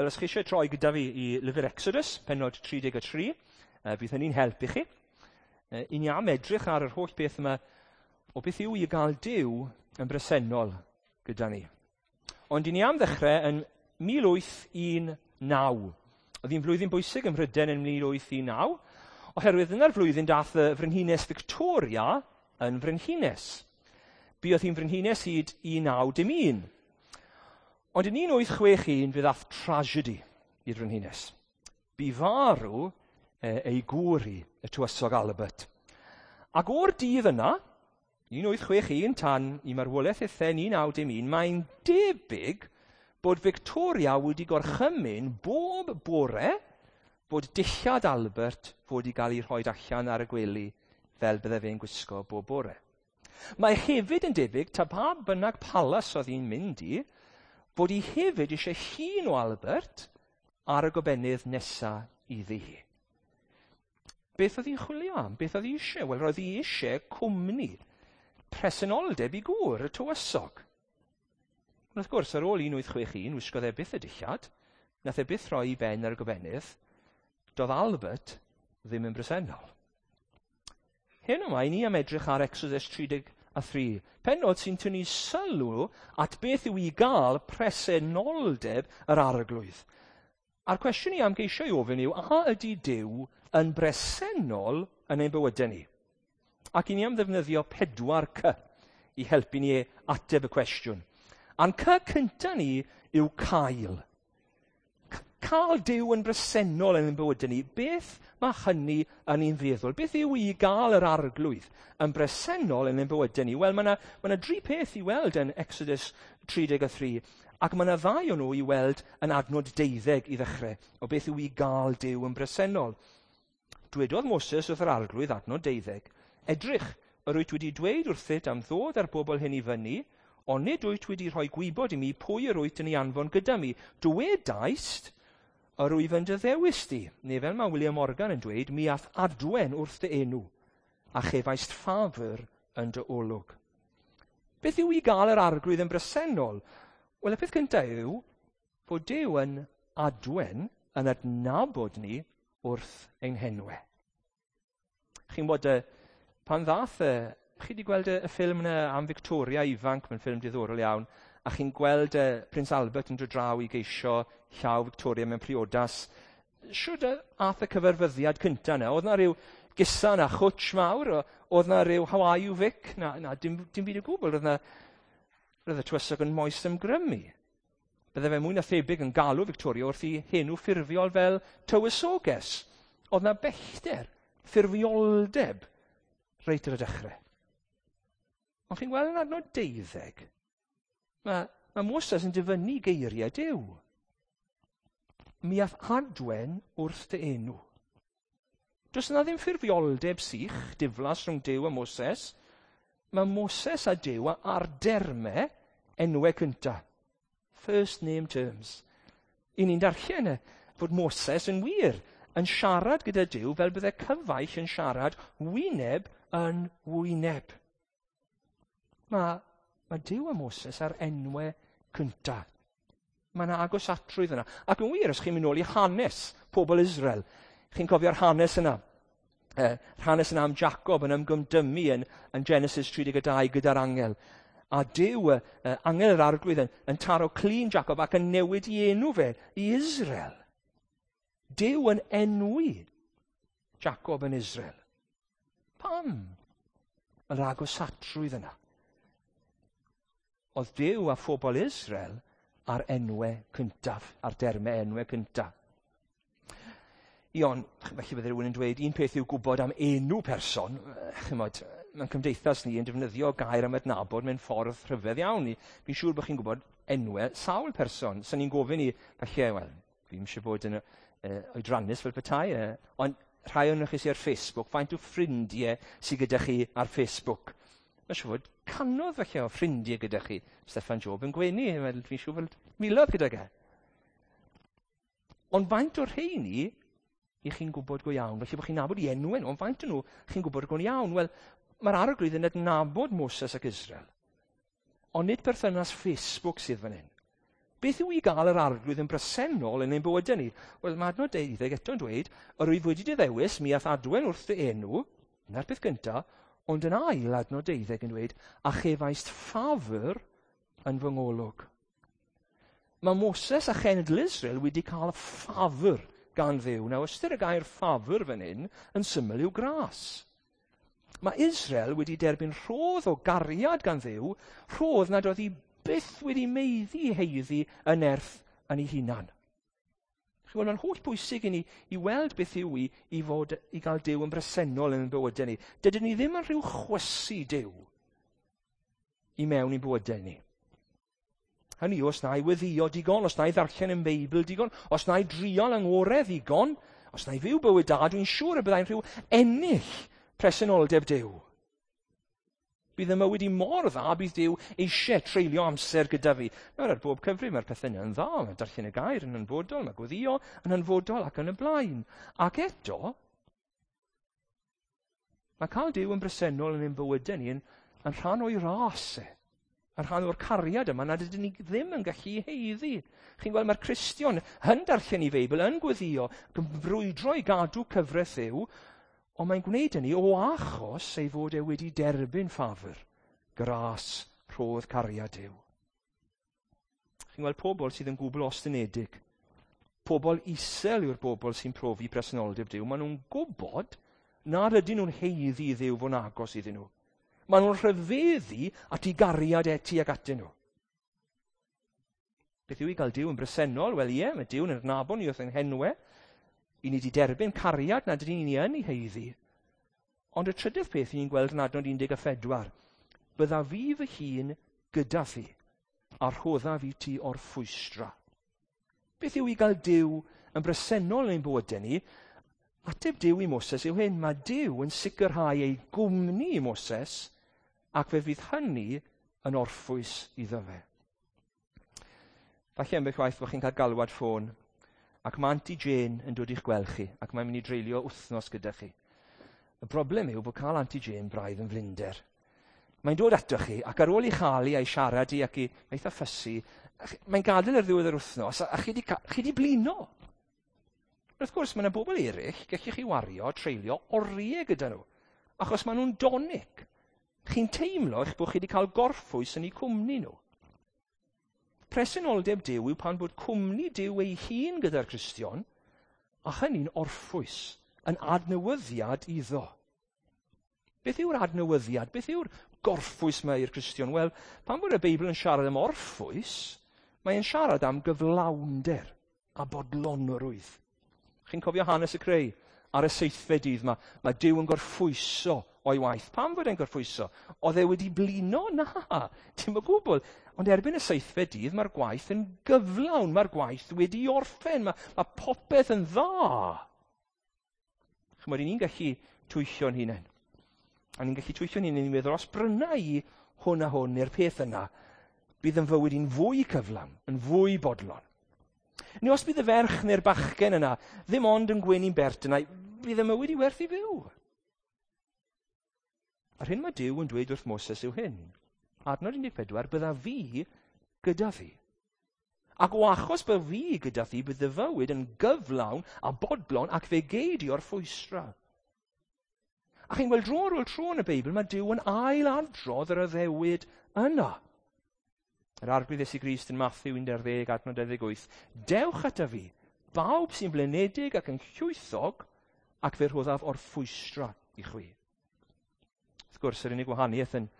Wel, os chi eisiau troi gyda fi i lyfr Exodus, pennod 33, bydd hynny'n help i chi. I ni am edrych ar yr holl beth yma o beth yw i gael Duw yn bresennol gyda ni. Ond i ni am ddechrau yn 1819. Oedd hi'n flwyddyn bwysig ym Mhrydain yn 1819, oherwydd yna'r flwyddyn dath y frenhines Victoria yn frenhines. Buodd hi'n frenhines hyd 1901. Ond yn 1861 fe ddath tragedy i'r frenhines. Bu farw ei gŵr hi, y tywysog Albert. Ac o'r dydd yna, 1861 tan i marwolaeth eitha 1901, mae'n debyg bod Victoria wedi gorchymyn bob bore bod dillad Albert fod i gael ei rhoi allan ar y gwely fel bydde fe'n gwisgo bob bore. Mae hefyd yn debyg, ta pa bynnag palas oedd hi'n mynd i, bod hi hefyd eisiau llun o Albert ar y gobenydd nesa iddi hi. Beth oedd hi'n chwilio am? Beth oedd hi eisiau? Wel, roedd hi eisiau cwmni, presenoldeb i gŵr, y tywysog. Ond wrth gwrs, ar ôl 1861, wisgodd e byth y dillad, nath e byth rhoi i ben ar y gobenydd, doedd Albert ddim yn bresennol. Heno 'ma, i ni am edrych ar Exodus 33, pennod sy'n tynnu sylw at beth yw i gael presenoldeb yr arglwydd. A'r cwestiwn i am geisio i ofyn yw, a ydy Duw yn bresennol yn ein bywydau ni? Ac i ni am ddefnyddio 4 C i helpu ni ateb y cwestiwn. A'n C cyntaf ni yw cael. Cael Duw yn bresennol yn ein bywydau ni, beth mae hynny yn ein feddwl? Beth yw i gael yr arglwydd yn bresennol yn ein bywydau ni? Wel, mae yna ma dri peth i weld yn Exodus 33, ac mae yna ddau o nhw i weld yn adnod 12 i ddechrau, o beth yw i gael Duw yn bresennol. Dwedodd Moses wrth yr arglwydd, adnod 12, edrych, yr wyt wedi dweud wrthyt am ddod â'r bobl hyn i fyny, ond nid wyt wedi rhoi gwybod i mi pwy yr wyt yn ei anfon gyda mi. Dwedaist, yr wyf yn dy ddewis di. Neu fel mae William Morgan yn dweud, mi ath adwen wrth dy enw, a chefaist ffafr yn dy olwg. Beth yw i gael yr arglwydd yn bresennol? Wel, y peth cyntaf yw fod Duw yn adwen, yn adnabod ni wrth ein henwau. Chi'n bod, pan ddath, chi wedi gweld y ffilm yna am Victoria ifanc, mae'n ffilm diddorol iawn, a chi'n gweld Prince Albert yn dod draw i geisio llaw Victoria mewn priodas. Shwd ath y cyfarfyddiad cynta yna? Oedd na rhyw gusan a chwtsh mawr? Oedd na rhyw how are you Vic? Na, na dim byd o gwbl. Roedd y tywysog yn moes ymgrymu. Bydde fe mwy na thebyg yn galw Victoria wrth i henw ffurfiol fel tywysoges. Oedd na bellter, ffurfioldeb, reit ar y dechrau. Ond chi'n gweld yn adnod 12, mae Moses yn dyfynnu geiriau Duw. Mi ath adwen wrth dy enw. Does yna ddim ffurfioldeb sych, diflas rhwng Duw a Moses. Mae Moses a Duw ar dermau enwau cyntaf. First name terms. I ni'n darllen fod Moses yn wir yn siarad gyda Duw fel bydde cyfaill yn siarad wyneb yn wyneb. Mae Duw a Moses ar enwau cyntaf. Mae yna agosatrwydd yna. Ac yn wir, os chi'n mynd nôl i hanes pobl Israel, chi'n cofio'r hanes yna. Hanes yna am Jacob yn ymgymdymu yn Genesis 32 gyda'r angel. A Duw, angel yr arglwydd, yn taro clun Jacob ac yn newid i enw fe i Israel. Duw yn enwi Jacob yn Israel. Pam? Yr agosatrwydd yna. Oedd Duw a phobl Israel ar enwau cyntaf, ar dermau enwau cyntaf. Ion, felly bydde rhywun yn dweud, un peth yw gwybod am enw person, chymod, mae'n cymdeithas ni yn defnyddio gair am adnabod mewn ffordd rhyfedd iawn. Fi'n siŵr bod chi'n gwybod enwau sawl person. So ni'n gofyn i, falle, wel, fi'n eisiau bod yn oedrannus fel petai, ond rhai o'n chi sydd ar Facebook, faint o ffrindiau sydd gyda chi ar Facebook? Mae'n siŵr fod cannoedd falle o ffrindiau gyda chi. Steffan Job yn gwenu, fi'n siŵr fod miloedd gyda ge. Ond faint o'r rheini i chi'n gwybod go iawn? Felly bod chi'n nabod i enwau nhw, ond faint o'n nhw chi'n gwybod go iawn? Wel, mae'r arglwydd yn adnabod Moses ac Israel. Ond nid perthynas Facebook sydd fan hyn. Beth yw i gael yr Arglwydd yn bresennol yn ein bywydau ni? Wel, mae adnod 12 eto'n dweud, yr wyf wedi dy ddewis, mi a'th adwen wrth dy enw, dyna'r peth gyntaf, ond yn ail adnod 12 yn dweud, a chefaist ffafr yn fy ngolwg. Mae Moses a chenedl Israel wedi cael ffafr gan Dduw. Nawr, ystyr y gair ffafr fan hyn yn syml yw gras. Mae Israel wedi derbyn rhodd o gariad gan Dduw, rhodd nad oedd hi byth wedi meiddi heiddi y nerth yn ei hunan. Chi'n gweld, mae'n holl bwysig i ni i weld beth yw i, i, fod, i gael Duw yn bresennol yn ein bywydau ni. Dydyn ni ddim yn rhyw chwysu Duw i mewn i'n bywydau ni. Hynny yw, os na i weddio digon, os na i ddarllen yn Beibl digon, os na i driol yng ngorau ddigon, os na i fyw bywyd da, dwi'n siŵr y byddai'n rhyw ennill presenoldeb Duw. Bydd y mywyd i mor dda, bydd Duw eisiau treulio amser gyda fi. Nawr, ar bob cyfrif, mae'r pethau yna yn dda. Mae darllen y gair yn hanfodol, mae gweddio yn hanfodol ac yn y blaen. Ac eto, mae cael Duw yn bresennol yn ein bywydau ni yn, yn rhan o'i ras e. Yn rhan o'r cariad yma nad ydyn ni ddim yn gallu heiddi. Chi'n gweld, mae'r Cristion yn darllen i Feibl, yn gweddio, ac yn brwydro i gadw cyfraith Dduw, ond mae'n gwneud hynny o achos ei fod e wedi derbyn ffafr, gras, rhodd cariad Duw. Chi'n gweld pobl sydd yn gwbl ostynedig. Pobl isel yw'r bobl sy'n profi presenoldeb Duw. Maen nhw'n gwybod nad ydyn nhw'n heiddi i Dduw fod yn agos iddyn nhw. Maen nhw'n rhyfeddu at ei gariad e tuag atyn nhw. Beth yw i gael Duw yn bresennol? Wel ie, mae Duw'n adnabod ni wrth ein henwe. I ni wedi derbyn cariad nad ydyn ni yn ei heiddi. Ond y trydydd peth ni'n gweld yn adnod 14, bydda fi fy hun gyda thi, a rhoddaf i ti orffwystra. Beth yw i gael Duw yn bresennol yn ein bywydau ni? Ateb Duw i Moses yw hyn, mae Duw yn sicrhau ei gwmni i Moses, ac fe fydd hynny yn orffwys iddo fe. Falle ambell waith bod chi'n cael galwad ffôn, ac mae Auntie Jane yn dod i'ch gweld chi, ac mae'n mynd i dreulio wythnos gyda chi. Y broblem yw bod cael Auntie Jane braidd yn flinder. Mae'n dod ato chi, ac ar ôl i chael i a'i siarad i ac i eitha ffysu, mae'n gadael ar ddiwedd yr wythnos, a chi di blino. Wrth gwrs, mae yna bobl eraill, gallwch chi wario, treulio oriau gyda nhw, achos maen nhw'n donic. Chi'n teimlo eich bod chi wedi cael gorffwys yn eu cwmni nhw. Presenoldeb Duw yw pan bod cwmni Duw ei hun gyda'r Cristion, a hynny'n orffwys, yn adnewyddiad iddo. Beth yw'r adnewyddiad? Beth yw'r gorffwys mae i'r Cristion? Wel, pan bod y Beibl yn siarad am orffwys, mae'n siarad am gyflawnder a bodlonrwydd. Chi'n cofio hanes y creu? Ar y seithfed dydd mae, mae Duw yn gorffwyso o'i waith. Pam fod e'n gorffwyso? Oedd e wedi blino? Na, dim o gwbl. Ond erbyn y seithfed dydd mae'r gwaith yn gyflawn, mae'r gwaith wedi orffen, mae, mae popeth yn dda. Chymod, ni'n gallu twyllio'n hunain. A ni'n gallu twyllio'n hunain i meddwl, os bryna i hwn a hwn neu'r peth yna, bydd yn fywyd i'n fwy cyflawn, yn fwy bodlon. Neu os bydd y ferch neu'r bachgen yna ddim ond yn gwenu'n bert yna, bydd y mywyd i werth i fyw. A'r hyn mae Duw yn dweud wrth Moses yw hyn. Adnod 14, bydda fi gyda thi. Ac o achos bydda fi gyda thi, bydd dy fywyd yn gyflawn a bodlon ac fe gei di orffwystra. A chi'n gweld dro ar ôl tro yn y Beibl, mae Duw yn ailadrodd yr addewid yna. Yr Arglwydd Iesu Grist yn Matthew 11, adnod 28. Dewch ata fi, bawb sy'n blinedig ac yn llwythog, ac fe rhoddaf orffwystra i chwi. Wrth gwrs, yr unig wahaniaeth yn,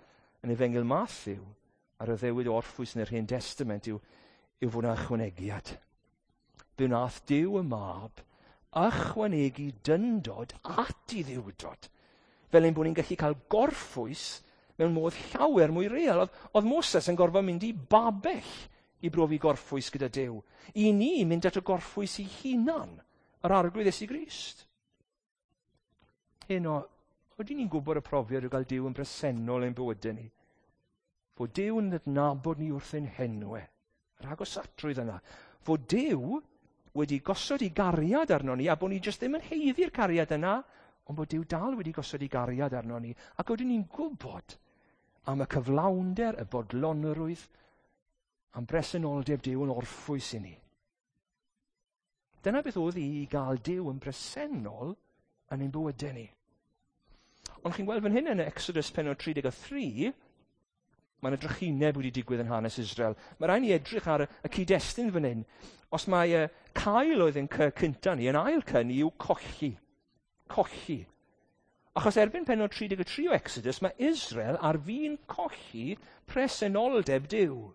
yn Efengyl Matthew a'r addewid o orffwys yn yr Hen Testament yw, yw fod yna ychwanegiad. Fe wnaeth Duw y Mab ychwanegu dyndod at ei ddiwdod, fel ein bod ni'n gallu cael gorffwys mewn modd llawer mwy real. Oedd, oedd Moses yn gorfod mynd i babell i brofi gorffwys gyda Duw. I ni mynd at y gorffwys i hunan, yr Arglwydd Iesu Grist. Heno, ydyn ni'n gwybod y profiad o gael Duw yn bresennol ein bywydau ni? Fod Duw yn adnabod ni wrth ein henwe, yr agosatrwydd yna. Fod Duw wedi gosod ei gariad arno ni, a bod ni jyst ddim yn heiddi'r cariad yna, ond bod Duw dal wedi gosod ei gariad arno ni, ac oedden ni'n gwybod am y cyflawnder, y bodlonrwydd, Am bresenoldeb Duw yn orffwys i ni. Dyna beth oedd i gael Duw yn bresennol yn ein bywydau ni. Ond chi'n gweld fan hyn yn Exodus pennod 33, mae yna drychineb wedi digwydd yn hanes Israel. Mae rhaid ni edrych ar y cyd-destun fan hyn. Os mae cael oedd yn cynta ni, yn ail cy ni yw colli. Colli. Achos erbyn pennod 33 o Exodus, mae Israel ar fin colli presenoldeb Duw.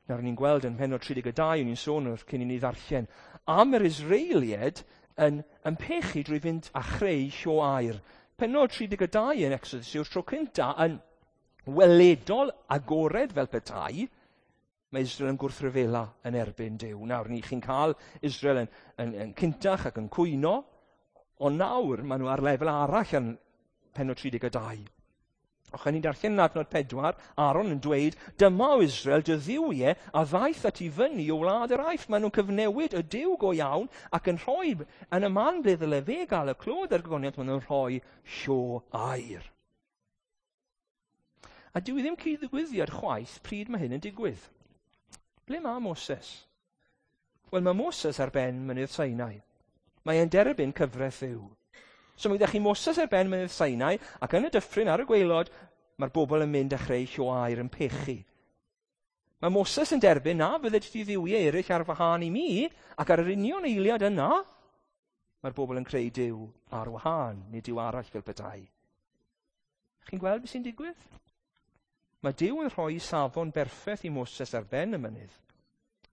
Nawr ni'n gweld yn pennod 32, ni'n sôn wrth cyn i ni ddarllen, am yr Israeliaid yn pechu drwy fynd a chreu llo aur. Pennod 32 yn Exodus yw'r tro cynta yn weledol agored fel petai, mae Israel yn gwrthryfela yn erbyn Duw. Nawr ni chi'n cael Israel yn cyntach ac yn cwyno, ond nawr maen nhw ar lefel arall yn pennod 32. O'ch ni'n darllen yn adnod 4, Aaron yn dweud, dyma o Israel dy dduwiau a ddaeth at i fyny o wlad yr Aifft. Maen nhw'n cyfnewid y Duw go iawn ac yn rhoi, yn y man ble ddyle fe gael y clod a'r gogoniant, maen nhw'n rhoi llo aur. A dyw i ddim cyd-ddigwyddiad chwaith pryd mae hyn yn digwydd. Ble mae Moses? Wel, mae Moses ar ben mynydd Sinai. Mae e'n derbyn cyfraith Dduw. So mae gyda chi Moses ar ben mynydd Sinai, ac yn y dyffryn ar y gwaelod, mae'r bobl yn mynd a chreu llo aur yn pechu. Mae Moses yn derbyn na fydde ti dduwiau eraill ar wahân i mi, ac ar yr union eiliad yna, mae'r bobl yn creu Duw ar wahân, neu Duw arall fel petai. Chi'n gweld beth sy'n digwydd? Mae Duw yn rhoi safon berffaith i Moses ar ben y mynydd,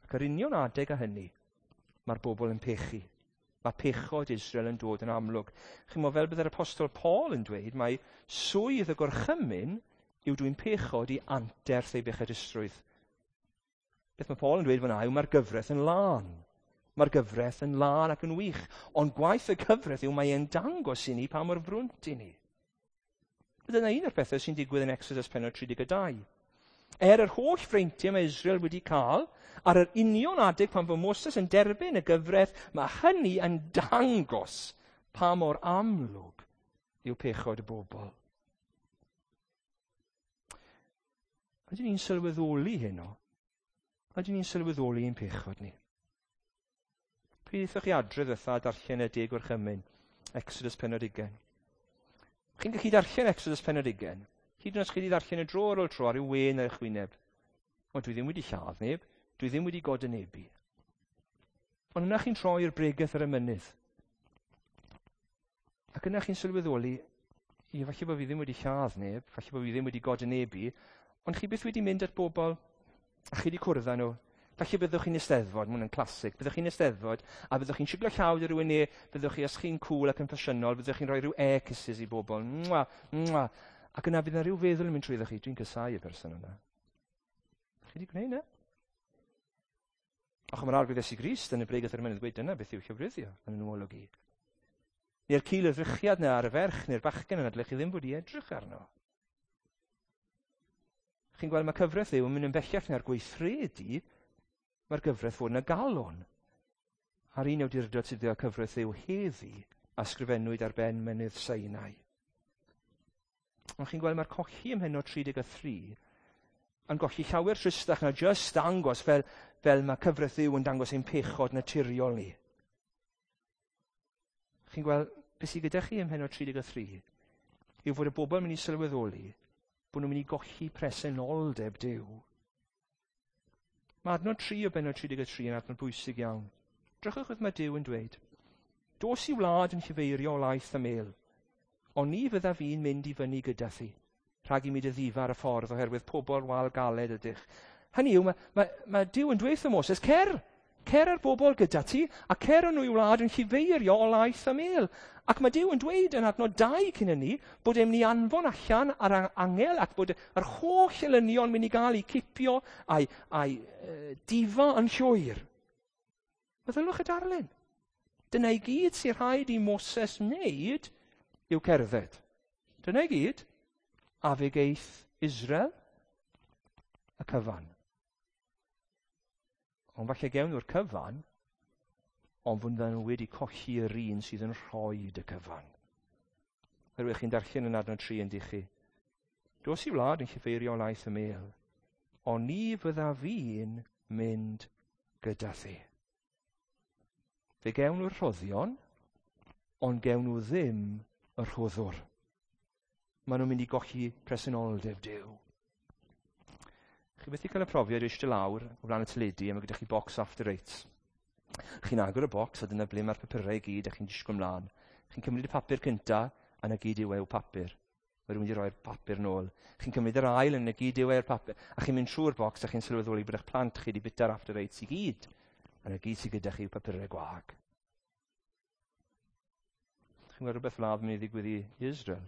ac ar union adeg a hynny, mae'r bobl yn pechu. Mae pechod Israel yn dod yn amlwg. Chi'n meddwl, fel bydd yr apostol Paul yn dweud, mae swydd y gorchymyn yw dwyn pechod i anterth ei bechadusrwydd. Beth mae Paul yn dweud fyna yw mae'r gyfraith yn lân. Mae'r gyfraith yn lân ac yn wych. Ond gwaith y gyfraith yw mae e'n dangos i ni pa mor frwnt i ni. Dyna un o'r pethau sy'n digwydd yn Exodus pennod 32. Er yr holl freintiau mae Israel wedi cael, ar yr union adeg pan fo Moses yn derbyn y gyfraith, mae hynny yn dangos pa mor amlwg yw pechod y bobl. Ydyn ni'n sylweddoli heno? Ydyn ni'n sylweddoli ein pechod ni? Pryd aethoch chi adre ddiwetha a darllen y 10 Gorchymyn, Exodus pennod 20? Chi'n gallu darllen Exodus pennod 20? Hyd yn oed os chi wedi darllen y dro ar ôl tro ar ryw wên ar eich wyneb. Ond dwi ddim wedi lladd neb, dwi ddim wedi godynebu. Ond yna chi'n troi i'r bregeth ar y mynydd. Ac yna chi'n sylweddoli, ie, falle bod fi ddim wedi lladd neb, falle bod fi ddim wedi godynebu, ond chi byth wedi mynd at bobl a chi wedi cwrdd â nhw. Falle byddwch chi'n eisteddfod, mae hwn yn classic, byddwch chi'n eisteddfod a byddwch chi'n siglo llaw 'da rhywun neu byddwch chi, os chi'n cool ac yn ffasiynol, byddwch chi'n rhoi rhyw air kisses i bobl. Mwa, mwa. Ac yna bydd yna rhyw feddwl yn mynd trwyddo chi, dwi'n casáu y person yna. Chi wedi gwneud 'na? Och, mae'r Arglwydd Iesu Grist yn y bregeth ar y mynydd gweud dyna beth yw llofruddio yn yn ôl i. Neu'r cil y ddrychiad yna ar y ferch neu'r bachgen yna, dylech chi ddim fod i edrych arno. Chi'n gweld mae cyfraith Dduw yn mynd yn bellach na'r gweithredu, mae'r gyfraith fod yn y galon. A'r un awdurdod sydd gyda cyfraith Dduw heddi a sgrifennwyd ar ben mynydd Sinai. Ond chi'n gweld mae'r colli ym mhennod 33 yn golli llawer tristach na jyst dangos fel mae cyfraith Dduw yn dangos ein pechod naturiol ni. Chi'n gweld beth sydd gyda chi ym mhennod 33 yw fod y bobl yn mynd i sylweddoli bod nhw'n mynd i golli presenoldeb Duw. Mae adnod 3 o bennod 33 yn adnod bwysig iawn. Drychwch beth mae Duw yn dweud. Dos i wlad yn llifeirio laeth a mel, ond ni fyddaf fi'n mynd i fyny gyda thi, rhag i mi dy ddifa ar y ffordd oherwydd pobl wal galed ydych. Hynny yw, mae Duw yn dweud wrth Moses, cer ar bobl gyda ti, a cer â nhw i wlad yn llifeirio o laeth a mel. Ac mae Duw yn dweud yn adnod 2 cyn hynny bod e'n mynd i anfon allan ar angel ac bod yr holl elynion mynd i gael eu cipio a'i difa yn llwyr. Meddylwch y darlun. Dyna i gyd sy'n rhaid i Moses wneud yw cerdded. Dyna i gyd. A fe geith Israel y cyfan. Ond falle gewn nhw'r cyfan, ond fyddan nhw wedi colli yr un sydd yn rhoi y cyfan. Oherwydd chi'n darllen yn adnod 3 yn dych chi. Dos i wlad yn llifeirio laeth y mel, Ond ni fydda fi'n mynd gyda thi. Fe gewn nhw'r rhoddion, ond gewn nhw ddim y rhoddwr. Maen nhw'n mynd i golli presenoldeb Duw. Chi byth 'di cael y profiad o eistedd lawr o flaen y teledu a mae gyda chi box After Eights. Chi'n agor y bocs a dyna ble mae'r papurau i gyd a chi'n disgwyl mlaen. Chi'n cymryd y papur cynta a 'na gyd yw e yw papur. Mae rhywun wedi rhoi'r papur nôl. Chi'n cymryd yr ail a 'na gyd yw e'r papur. A chi'n mynd trwy'r bocs a chi'n sylweddoli bod eich plant chi wedi bwyta'r After Eights i gyd. A 'na gyd sydd gyda chi yw papurau gwag. Chi'n gweld rhywbeth fel 'na yn mynd i ddigwydd i Israel.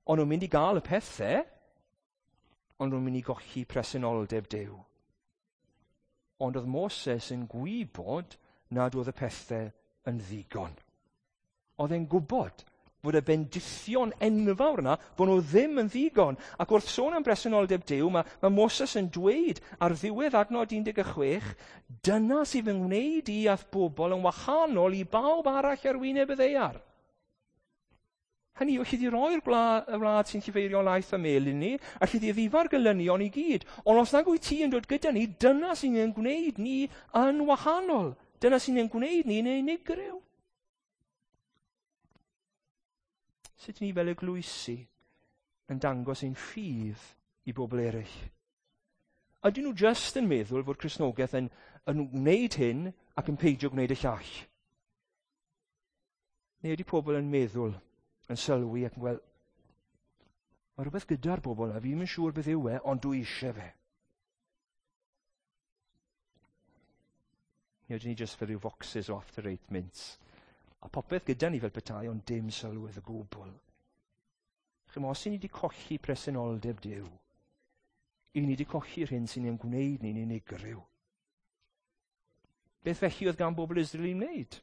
Ond nhw'n mynd i gael y pethau, ond nhw'n mynd i golli presenoldeb Duw. Ond oedd Moses yn gwybod nad oedd y pethau yn ddigon. Oedd e'n gwybod fod y bendithion enfawr yna, bod nhw ddim yn ddigon. Ac wrth sôn am bresenoldeb Duw, mae Moses yn dweud ar ddiwedd adnod 16, dyna sydd yn wneud i a'th bobl yn wahanol i bawb arall ar wyneb y ddaear. Hynny yw, alli di roi'r y wlad sy'n llifeirio laeth a mel i ni, alli di ddifa'r gelynion i gyd. Ond os nag wyt ti yn dod gyda ni, dyna sy'n ein gwneud ni yn wahanol. Dyna sy'n ein gwneud ni'n unigryw. Sut ni fel eglwysi yn dangos ein ffydd i bobl eraill? Ydyn nhw just yn meddwl fod Cristnogaeth yn gwneud hyn ac yn peidio gwneud y llall? Neu ydy pobl yn meddwl, yn sylwi ac yn gweld, mae rhywbeth gyda'r bobl yna, fi ddim yn siŵr beth yw e, ond dwi eisiau fe. Neu ydyn ni just fel rhyw foxes o After Eight mints. A popeth gyda ni fel petai, ond dim sylwedd o gwbl. Chymod, os ni wedi colli presenoldeb Duw, i ni wedi colli'r hyn sy'n ein gwneud ni'n unigryw. Beth felly oedd gan bobl Israel i wneud?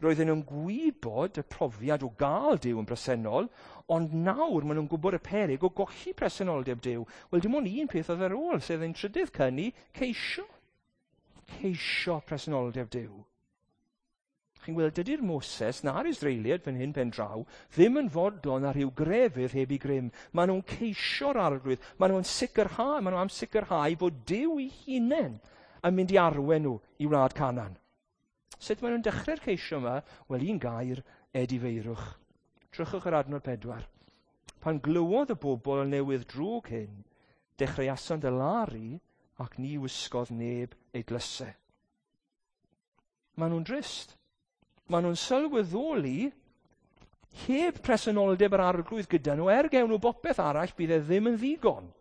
Roedden nhw'n gwybod y profiad o gael Duw yn bresennol, ond nawr maen nhw'n gwybod y peryg o golli presenoldeb Duw. Wel, dim ond un peth oedd ar ôl, sef ein trydydd cynni, ceisio. Ceisio presenoldeb Duw. Chi'n gweld, dydy'r Moses na'r Israeliaid fan hyn pen draw ddim yn fodlon ar ryw grefydd heb i grym. Maen nhw'n ceisio'r Arglwydd. Maen nhw'n sicrhau, maen nhw am sicrhau fod Duw ei hunain yn mynd i arwain nhw i wlad Canaan. Sut maen nhw'n dechrau'r ceisio yma? Wel, un gair, edifeirwch. Drychwch ar adnod 4. Pan glywodd y bobl y newydd drwg hyn, dechreuasant alaru ac ni wisgodd neb ei dlysau. Maen nhw'n drist. Maen nhw'n sylweddoli heb presenoldeb yr Arglwydd gyda nhw, er gewn nhw bopeth arall, bydd e ddim yn ddigon.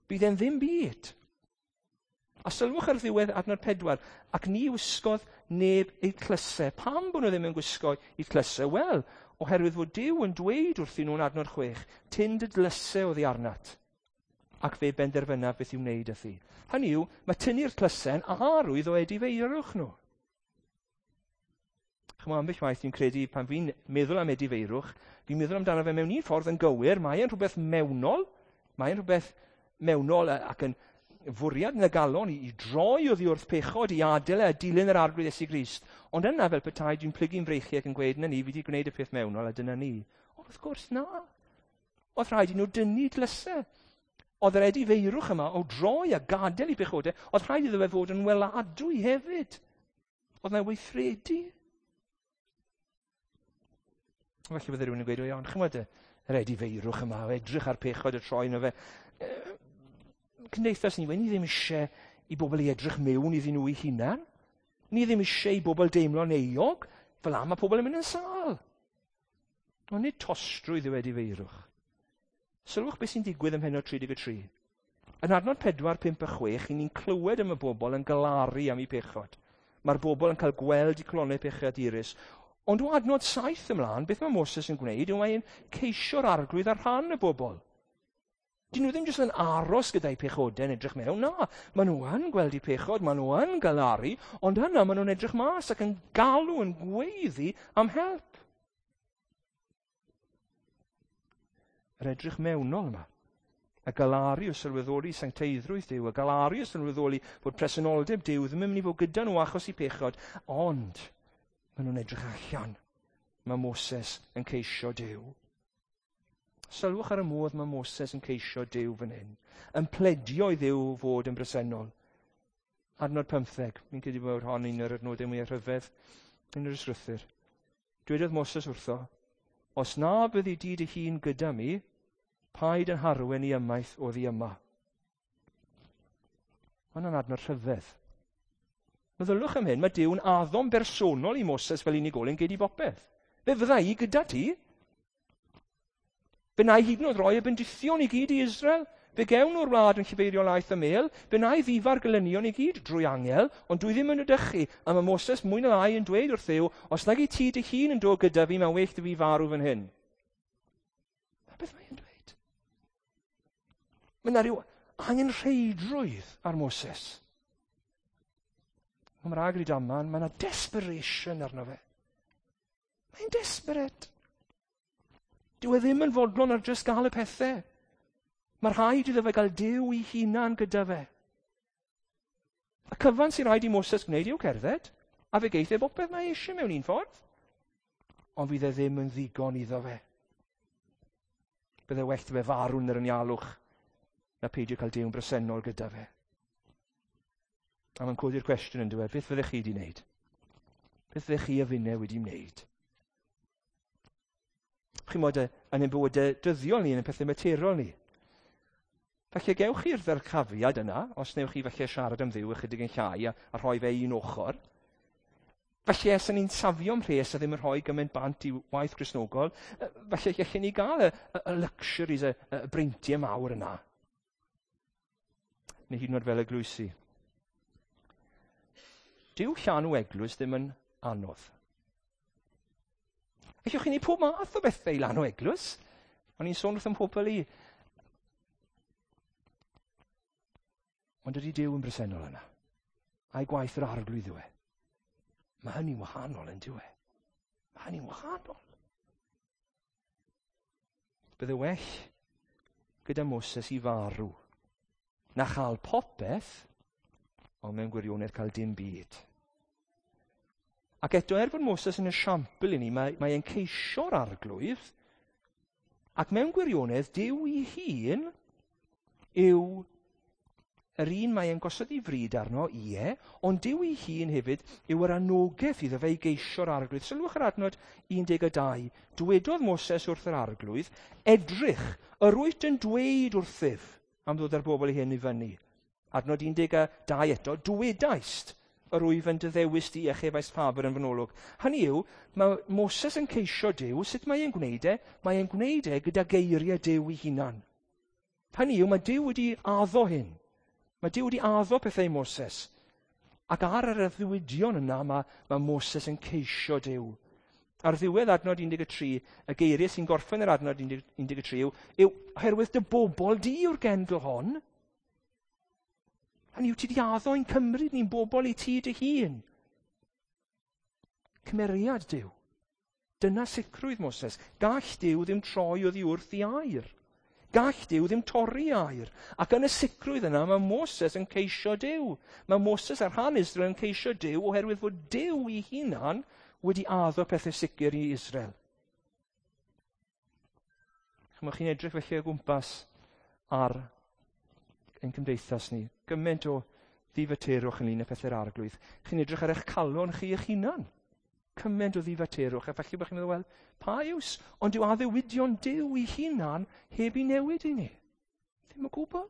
Bydd e'n ddim byd. A sylwch ar ddiwedd adnod 4, ac ni wisgodd neb eu tlysau. Pam bod nhw ddim yn gwisgo eu tlysau? Wel, oherwydd fod Duw yn dweud wrthyn nhw'n adnod 6, tyn dy dlysau oddi arnat, ac fe benderfynaf beth i'w wneud â thi. Hynny yw, mae tynnu'r tlysau'n arwydd o edifeirwch nhw. Chymod, ambell waith dwi'n credu pan fi'n meddwl am edifeirwch, fi'n meddwl amdano fe mewn un ffordd yn gywir, mae e'n rhywbeth mewnol, mae e'n rhywbeth mewnol ac yn fwriad yn y galon i droi oddi wrth pechod, i adael e a dilyn yr Arglwydd Iesu Grist. Ond yna fel petai dwi'n plygu'n freichiau ac yn gweud, na ni, fi wedi gwneud y peth mewnol a dyna ni. Ond wrth gwrs na. Oedd rhaid i nhw dynnu dlysau. Oedd yr edifeirwch yma o droi a gadael i pechodau, oedd rhaid iddo fe fod yn weladwy hefyd. Oedd na weithredu. Felly bydde rhywun yn gweud, o iawn, chymod yr edifeirwch yma, o edrych ar pechod y troi yno fe. Cymdeithas ni, ni ddim eisiau i bobl i edrych mewn iddyn nhw eu hunan. Ni ddim eisiau i bobl deimlo'n euog, fel am mae pobl yn mynd yn sâl. Ond nid tostrwydd yw edifeirwch. Sylwch beth sy'n digwydd ym mhennod 33. Yn adnod 4, 5 a 6, ni'n clywed am y bobl yn galaru am eu pechod. Mae'r bobl yn cael gweld eu colonnau pechadurus. Ond o adnod 7 ymlaen, beth mae Moses yn gwneud yw mae'n ceisio'r Arglwydd ar rhan y bobl. Dyn nhw ddim jyst yn aros gyda'i pechodau yn edrych mewn, na. Maen nhw yn gweld eu pechod, maen nhw yn galaru, ond yna maen nhw'n edrych mas ac yn galw, yn gweiddi am help. Yr edrych mewnol yma. Y galaru o sylweddoli sancteiddrwydd Duw, y galaru o sylweddoli fod presenoldeb Duw ddim yn mynd i fod gyda nhw achos eu pechod, ond maen nhw'n edrych allan. Mae Moses yn ceisio Duw. Sylwch ar y modd mae Moses yn ceisio Duw fan hyn, yn pledio i Dduw fod yn bresennol. Adnod 15, mi'n credu bod hon un o'r adnodau mwyaf rhyfedd yn yr ysgrythur. Dwedodd Moses wrtho, "Os na byddi di dy hun gyda mi, paid yn harwen i ymaith oddi yma." Mae hwnna'n adnod rhyfedd. Meddylwch am hyn, mae Duw'n addo'n bersonol i Moses fel unigolyn gei di bopeth. Fe fydda i gyda ti. Fe wna i hyd yn oed roi y bendithion i gyd i Israel. Fe gewn nhw'r wlad yn llifeirio laeth a mêl. Fe wna i ddifa'r gelynion i gyd drwy angel, ond dwi ddim yn ydychu. A mae Moses mwy na lai yn dweud wrth Dduw, "Os nag i ti dy hun yn dod gyda fi, mae'n well 'da fi farw fan hyn." Na beth mae'n dweud. Mae yna rhyw angenrheidrwydd ar Moses. Nghymraeg Rydaman, mae yna desperation arno fe. Mae'n desperate. Dyw e ddim yn fodlon ar jyst gael y pethau. Mae rhaid iddo fe gael Duw i hunan gyda fe. Y cyfan sy'n rhaid i Moses gwneud yw cerdded, a fe geith e bopeth mae eisiau mewn un ffordd. Ond fydd e ddim yn ddigon iddo fe. Bydde well 'da fe farw yn yr anialwch na peidio cael Duw'n bresennol gyda fe. A mae'n codi'r cwestiwn yn dweud, beth fyddech chi wedi wneud? Beth fyddech chi a finne wedi wneud? Chi'n modd yn ein bywydau dyddiol ni, yn ein pethau materol ni. Falle gewch chi'r ddyrchafiad yna, os newch chi falle siarad am Dduw ychydig yn llai a rhoi fe un ochr. Falle os ni'n safio mhres a ddim yn rhoi gymaint bant i waith Gristnogol, falle gallen ni gael y luxuries, y breintiau mawr yna. Neu hyd yn oed fel eglwysi. Dyw llanw eglwys ddim yn anodd. Allwch chi wneud pob math o bethau i lanw eglwys. O'n i'n sôn wrth ym mhobl i. Ond ydy Duw yn bresennol yna? A'i gwaith yr Arglwydd yw e? Mae hynny'n wahanol yn dyw e? Mae hynny'n wahanol. Bydde well gyda Moses i farw na chael popeth, ond mewn gwirionedd cael dim byd. Ac eto, er fod Moses yn esiampl i ni, mae e'n ceisio'r Arglwydd, ac mewn gwirionedd, Duw i hun yw yr un mae e'n gosod ei fryd arno, ie, ond Duw ei hun hefyd yw yr anogaeth iddo fe i geisio'r Arglwydd. Sylwch yr adnod 12. Dwedodd Moses wrth yr Arglwydd, "Edrych, yr wyt yn dweud wrthyf am ddod â'r bobl i hyn i fyny." Adnod 12 eto, "Dwedaist, yr wyf yn dy ddewis di a chefais ffafr yn fy nolwg." Hynny yw, mae Moses yn ceisio Duw, sut mae e'n gwneud e? Mae e'n gwneud e gyda geiriau Duw ei hunan. Hynny yw, mae Duw wedi addo hyn. Mae Duw wedi addo pethau i Moses. Ac ar yr addewidion yna mae Moses yn ceisio Duw. Ar ddiwedd adnod 13, y geiriau sy'n gorffen yr adnod 13 yw "oherwydd dy bobl di yw'r genedl hon." Hynny yw, ti di addo i'n cymryd ni'n bobl i ti dy hun. Cymeriad Duw. Dyna sicrwydd Moses. Gall Duw ddim troi oddi wrth i air. Gall Duw ddim torri air. Ac yn y sicrwydd yna, mae Moses yn ceisio Duw. Mae Moses ar rhan Israel yn ceisio Duw oherwydd fod Duw i hunan wedi addo pethau sicr i Israel. Chymod, chi'n edrych felly o gwmpas ar ein cymdeithas ni. Gymaint o ddifaterwch ynglyn â pethau'r Arglwydd. Chi'n edrych ar eich calon chi eich hunan. Cymaint o ddifaterwch. A falle bod chi'n meddwl, wel, pa iws? Ond dyw addewidion Duw i hunan heb i newid i ni. Ddim o gwbl.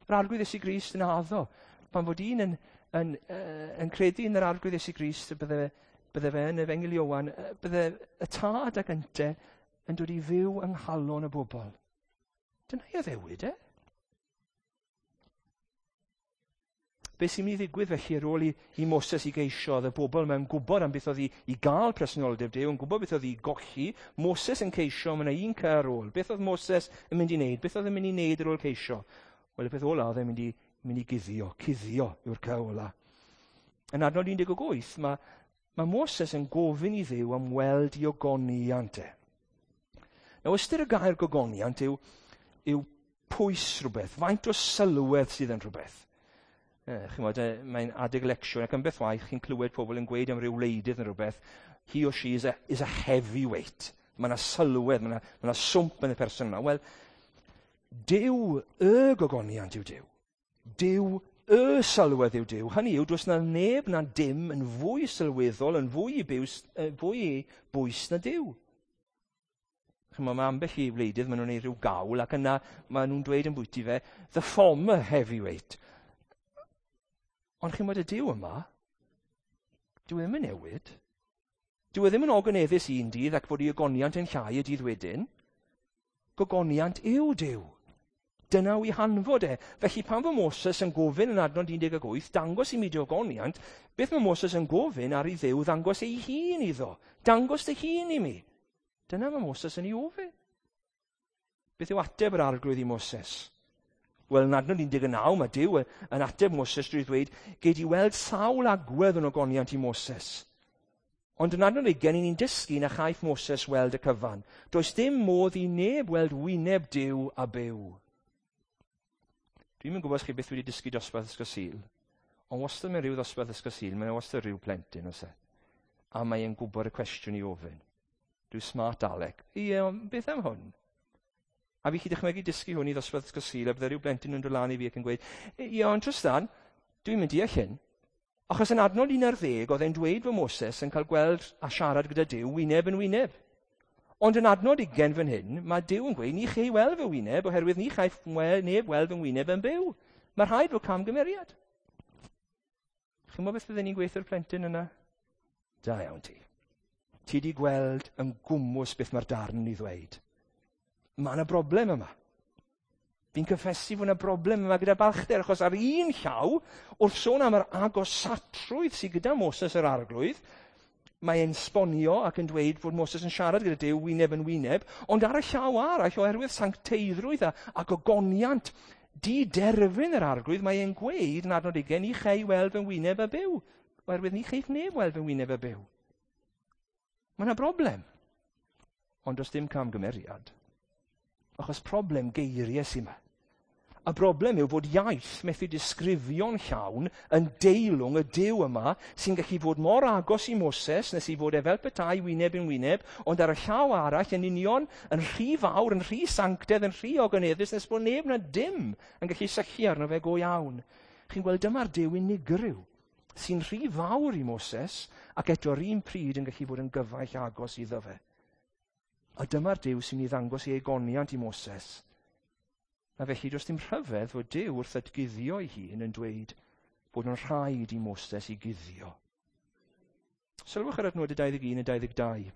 Yr Arglwydd Iesu Grist yn addo. Pan fod un yn credu yn yr Arglwydd Iesu Grist, bydde fe yn Efengyl Ioan, bydde y tad ac ynte yn dod i fyw yng nghalon y bobl. Dyna ei addewid e. Be sy'n mynd i ddigwydd felly ar ôl i Moses i geisio, oedd y bobl mewn gwybod am beth oedd i gael presenoldeb Duw, yn gwybod beth oedd i golli, Moses yn ceisio, mae yna un cy ar ôl. Beth oedd Moses yn mynd i wneud? Beth oedd yn mynd i wneud ar ôl ceisio? Wel, y peth ola oedd e'n mynd i guddio. Cuddio yw'r cy ola. Yn adnod 18, mae Moses yn gofyn i Dduw am weld i ogoniant e. Nawr, ystyr y gair gogoniant yw pwys rhywbeth, faint o sylwedd sydd yn rhywbeth. Chimod, mae'n adeg lecsiwn ac yn beth waith chi'n clywed pobl yn gweud am ryw wleidydd neu rhywbeth, he or she is a heavyweight. Mae yna sylwedd, mae yna swmp yn y person yna. Wel, Duw y gogoniant yw Duw. Duw y sylwedd yw Duw. Hynny yw, does na neb na dim yn fwy sylweddol, yn fwy i bwys na Duw. Chimod, mae ambell i wleidydd, maen nhw'n neud rhyw gawl, ac yna maen nhw'n dweud yn bwyty fe, "The former heavyweight." Ond chi'n y Duw yma, dyw e ddim yn newid. Dyw e ddim yn ogoneddus un dydd ac fod ei ogoniant yn llai y dydd wedyn. Gogoniant yw Duw. Dyna yw ei hanfod e. Felly pan fo Moses yn gofyn yn adnod 18, "Dangos i mi dy ogoniant," beth mae Moses yn gofyn ar i Dduw ddangos ei hun iddo? "Dangos dy hun i mi." Dyna mae Moses yn ei ofyn. Beth yw ateb yr Arglwydd i Moses? Wel, yn adnod 19, mae Duw yn ateb Moses drwy ddweud, "Gei di weld sawl agwedd o'n ogoniant i, Moses." Ond yn adnod 20, ni'n dysgu na chaiff Moses weld y cyfan. Does dim modd i neb weld wyneb Duw a byw. Dwi'm yn gwybod os chi byth wedi dysgu dosbarth ysgol Sul, ond wastad mewn rhyw ddosbarth ysgol Sul, mae'n wastad rhyw plentyn oes e. A mae'n gwybod y cwestiwn i ofyn. Rhyw smart alec. "Ie, ond beth am hwn?" A fi chi dychmygu dysgu hwn i ddosbarth ysgol Sul, a bydde rhyw blentyn yn dod lan i fi ac yn gweud, "Ie, ond Trystan, dwi'n mynd deall hyn. Achos yn adnod 11, oedd e'n dweud fod Moses yn cael gweld a siarad gyda Duw wyneb yn wyneb. Ond yn adnod 20 fan hyn, mae Duw yn gweud, ni chei weld fy wyneb, oherwydd ni chaiff neb weld fy wyneb yn byw. Mae rhaid fod camgymeriad." Chi'n gwybod beth fydden ni'n gweithio'r plentyn yna? "Da iawn ti. Ti di gweld yn gwmws beth mae'r darn yn ei ddweud. Mae yna broblem yma. Fi'n cyffesu fod yna broblem yma gyda balchder, achos ar un llaw, wrth sôn am yr agosatrwydd sydd gyda Moses yr Arglwydd, mae e'n sbonio ac yn dweud fod Moses yn siarad gyda Duw wyneb yn wyneb, ond ar y llaw arall, oherwydd sancteiddrwydd a gogoniant di-derfyn yr Arglwydd, mae e'n gweud yn adnod 20, ni chei weld fy wyneb a byw, oherwydd ni cheiff neb weld fy wyneb a byw. Mae yna broblem. Ond does dim camgymeriad. Achos problem geiriau sy'n yma. Y broblem yw fod iaith methu disgrifio'n llawn yn deilwng y Duw yma sy'n gallu fod mor agos i Moses nes i fod e fel petai wyneb yn wyneb, ond ar y llaw arall yn union yn rhy fawr, yn rhy sanctedd, yn rhy ogoneddus nes bod neb na dim yn gallu syllu arno fe go iawn. Chi'n gweld, dyma'r Duw unigryw sy'n rhy fawr i Moses ac eto'r un pryd yn gallu bod yn gyfaill agos iddo fe. A dyma'r Duw sy'n ei ddangos ei ogoniant i Moses. A felly does dim rhyfedd fod Duw wrth atguddio ei hun yn dweud bod yn rhaid i Moses i guddio. Sylwch ar adnodau 21 a 22.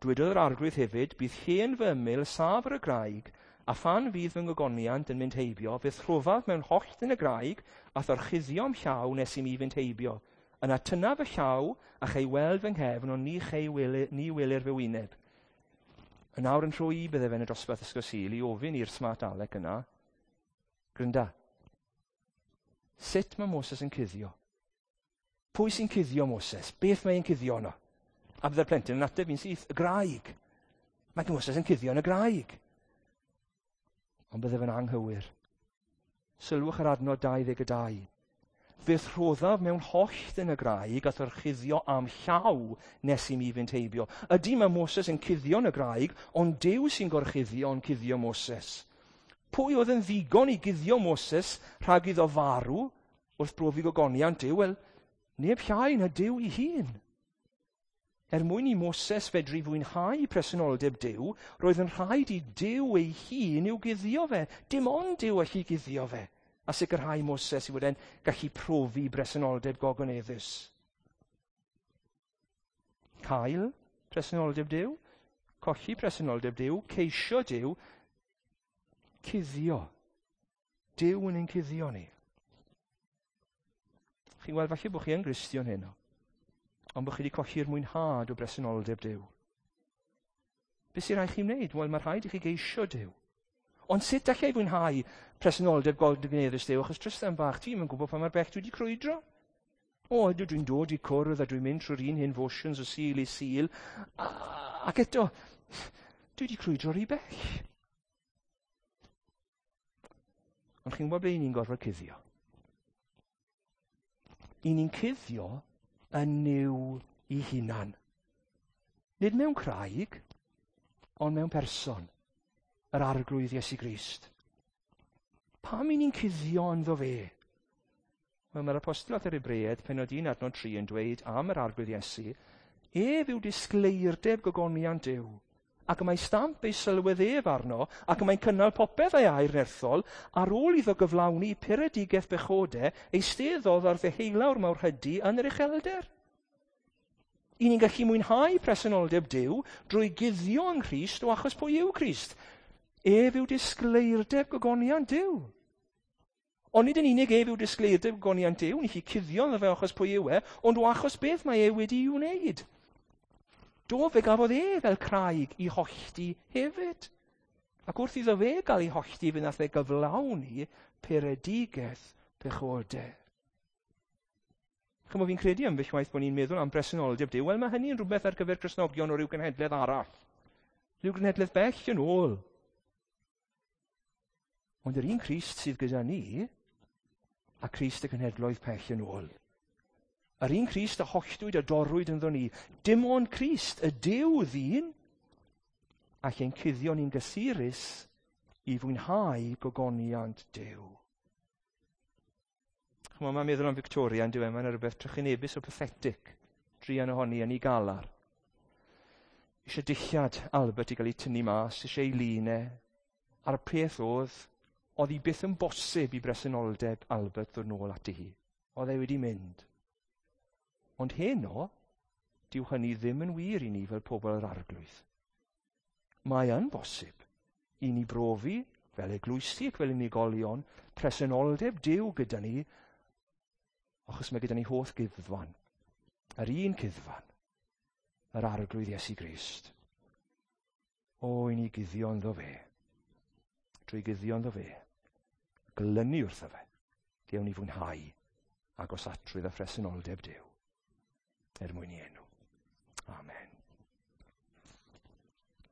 Dwedodd yr Arglwydd hefyd, "Bydd llên fy ymyl, saf ar y graig, a phan fydd fy ngogoniant yn mynd heibio, fe'th rhoddaf mewn hollt yn y graig, a'th orchuddio â'm llaw nes i mi fynd heibio. Yna tynnaf fy llaw, a chei weld fy nghefn, ond ni welir fy wyneb." Yn awr yn rhoi i bydde fe yn y dosbarth ysgol Sul i ofyn i'r smart alec yna, "Grynda, sut mae Moses yn cuddio? Pwy sy'n cuddio Moses? Beth mae'n cuddio yno?" A bydde'r plentyn yn ateb fi'n syth, "Y graig. Mae Moses yn cuddio yn y graig." Ond bydde fe'n anghywir. Sylwch ar adnod 22. "Fe'th rhoddaf mewn hollt yn y graig a'th orchuddio â'm llaw nes i mi fynd heibio." Ydy, mae Moses yn cuddio yn y graig, ond Duw sy'n gorchuddio yn cuddio Moses. Pwy oedd yn ddigon i guddio Moses rhag iddo farw wrth brofi gogoniant Duw? Wel, neb llai na Duw ei hun. Er mwyn i Moses fedru fwynhau presenoldeb Duw, roedd yn rhaid i Duw ei hun i'w guddio fe. Dim ond Duw allu guddio fe a sicrhau Moses i fod e'n gallu profi presenoldeb gogoneddus. Cael presenoldeb Duw, colli presenoldeb Duw, ceisio Duw, cuddio. Duw yn ein cuddio ni. Chi'n gweld, falle bod chi yn Gristion heno, ond bod chi wedi colli'r mwynhad o bresenoldeb Duw. Beth sy'n rhaid chi wneud? Wel, mae rhaid i chi geisio Duw. Ond sut allai fwynhau presenoldeb gogoneddus Duw? Achos Tristan bach, ti'n yn gwybod pa mor bell dwi wedi crwydro. O, ydw, dwi'n dod i cwrdd a dwi'n mynd trwy'r un hen motions o Sul i Sul. Ac eto, dwi wedi crwydro rhy bell. Ond chi'n gwybod ble ni'n gorfod cuddio? I ni'n cuddio yn Nuw i hunan. Nid mewn craig. Ond mewn person, yr Arglwydd Iesu Grist. Pam i ni'n cuddio ynddo fe? Wel, mae'r apostol at yr Hebreaid, pennod 1 adnod 3 yn dweud am yr Arglwydd Iesu, ef yw disgleirdeb gogoniant Duw, ac y mae stamp ei sylwedd ef arno, ac y mae'n cynnal popeth ei air nerthol, ar ôl iddo gyflawni puredigaeth bechodau, eisteddodd ar ddeheulawr mawrhydi yn yr uchelder. I ni'n gallu mwynhau presenoldeb Duw drwy guddio yng Nghrist o achos pwy yw Crist. Ef yw disgleirdeb gogoniant Duw. Ond nid yn unig ef yw disgleirdeb gogoniant Duw, ni chi cuddio ynddo fe achos pwy yw e, ond o achos beth mae e wedi'i wneud. Do, fe gafodd e fel craig i hollti hefyd. Ac wrth iddo fe gael ei hollti, fe nath e gyflawni puredigaeth pechodau. Chymod, fi'n credu ambell waith bod ni'n meddwl am bresenoldeb Duw. Wel, mae hynny yn rhywbeth ar gyfer Cristnogion o ryw genhedlaeth arall. Rhyw genhedlaeth bell yn ôl. Ond yr un Crist sydd gyda ni, a Crist y cenhedloedd pell yn ôl. Yr un Crist a holltwyd a dorrwyd ynddo ni. Dim ond Crist, y Duw ddyn, a lle'n cuddio ni'n gysurus i fwynhau gogoniant Duw. Chymod, mae'n meddwl am Victoria yn diwedd, mae'n rhywbeth trychinebus o pathetic. Druan ohoni yn ei galar. Eisiau dillad Albert i gael ei tynnu mas, eisiau ei lun e. A'r peth oedd, oedd hi byth yn bosib i bresenoldeb Albert ddod nôl ati hi. Oedd e wedi mynd. Ond heno, dyw hynny ddim yn wir i ni fel pobl yr Arglwydd. Mae yn bosib i ni brofi, fel eglwysi ac fel unigolion, presenoldeb Duw gyda ni, achos mae gyda ni holl gyddfan. Yr un cuddfan, yr Arglwydd Iesu Grist. O, i ni guddio ynddo fe. Drwy guddio ynddo fe. Glynu wrtho fe. Gewn ni fwynhau agosatrwydd a phresenoldeb Duw. Er mwyn i enw.